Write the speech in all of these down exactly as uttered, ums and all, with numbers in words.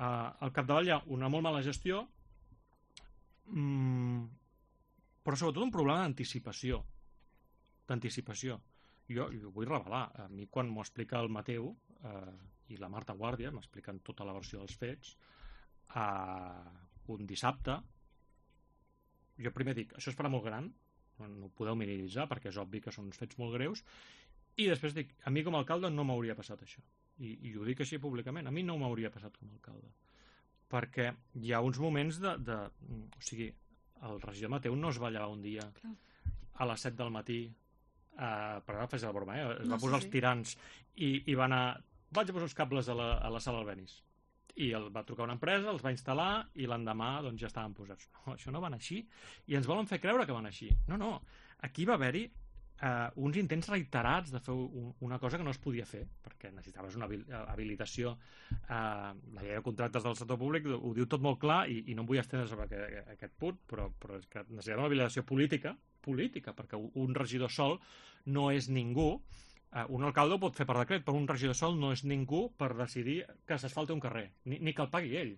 al capdavall hi ha una molt mala gestió, mmm, però sobretot un problema d'anticipació. D'anticipació. Jo, jo vull revelar. A mi, quan m'ho explica el Mateu eh, i la Marta Guàrdia, m'expliquen tota la versió dels fets, eh, un dissabte, jo primer dic, això es farà molt gran, no ho podeu minimitzar perquè és obvi que són uns fets molt greus, i després dic, a mi com a alcalde no m'hauria passat això. I, i ho dic així públicament, a mi no m'hauria passat com a alcalde. Perquè hi ha uns moments de... de o sigui, el regidor Mateu no es va llevar un dia Clar. a les set del matí, eh, per ara fes la broma, eh? es no, va posar sí, els tirants i, i va anar... Vaig a posar els cables a la, a la sala Albéniz. I el va trucar una empresa, els va instal·lar i l'endemà doncs, ja estaven posats. No, això no va anar així. I ens volen fer creure que van així. No, no. Aquí va haver-hi eh, uns intents reiterats de fer un, una cosa que no es podia fer, perquè necessitaves una habilitació. Eh, la llei de contractes del sector públic ho diu tot molt clar i, i no em vull estendre sobre aquest, aquest punt, però, però és que necessitava una habilitació política, política, perquè un regidor sol no és ningú. Uh, un alcalde ho pot fer per decret, però un regidor sol no és ningú per decidir que s'asfalti un carrer, ni, ni que el pagui ell.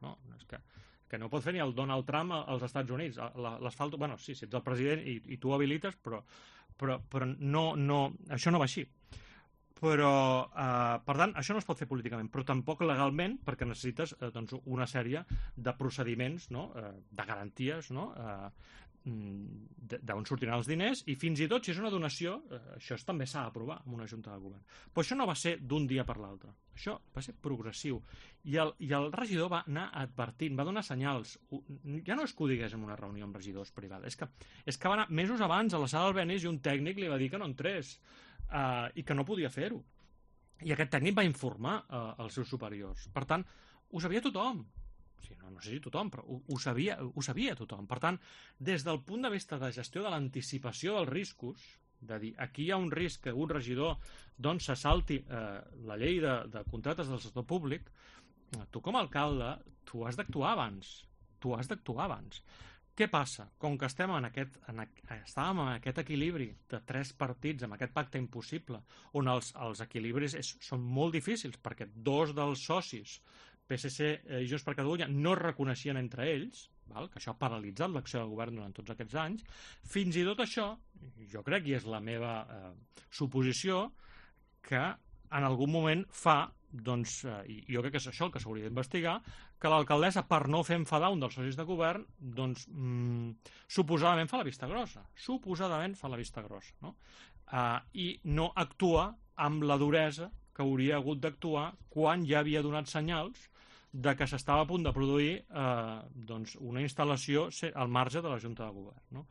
No, és que, que no ho pot fer ni el Donald Trump als Estats Units. L'asfalt, bueno, sí, si ets el president i, i tu ho habilites, però, però, però no, no, això no va així. Però, uh, per tant, això no es pot fer políticament, però tampoc legalment, perquè necessites uh, doncs, una sèrie de procediments, no? uh, de garanties, no? uh, d'on sortiran els diners, i fins i tot si és una donació, eh, això també s'ha d'aprovar en una junta de govern. Però això no va ser d'un dia per l'altre, això va ser progressiu, i el, i el regidor va anar advertint, va donar senyals. Ja no és que ho digués en una reunió amb regidors privada, és que, és que va anar mesos abans a la sala Albéniz i un tècnic li va dir que no entrés eh, i que no podia fer-ho, i aquest tècnic va informar eh, els seus superiors. Per tant, ho sabia tothom. Sí, no, no sé si tothom, però ho, ho, sabia, ho sabia tothom. Per tant, des del punt de vista de gestió de l'anticipació dels riscos, de dir, aquí hi ha un risc que un regidor doncs, se salti eh, la llei de, de contractes del sector públic, tu com a alcalde, tu has d'actuar abans. Tu has d'actuar abans. Què passa? Com que estem en aquest, en, estàvem en aquest equilibri de tres partits, amb aquest pacte impossible, on els, els equilibris és, són molt difícils, perquè dos dels socis, P S C i Junts per Catalunya, no es reconeixien entre ells, val? Que això ha paralitzat l'acció del govern durant tots aquests anys. Fins i tot això, jo crec, i és la meva eh, suposició, que en algun moment fa, doncs, eh, i jo crec que és això el que s'hauria d'investigar, que l'alcaldessa, per no fer enfadar un dels socis de govern, doncs, mm, suposadament fa la vista grossa. Suposadament fa la vista grossa, no? Eh, I no actua amb la duresa que hauria hagut d'actuar quan ja havia donat senyals de que s'estava a punt de produir eh, doncs una instal·lació al marge de la Junta de Govern. No?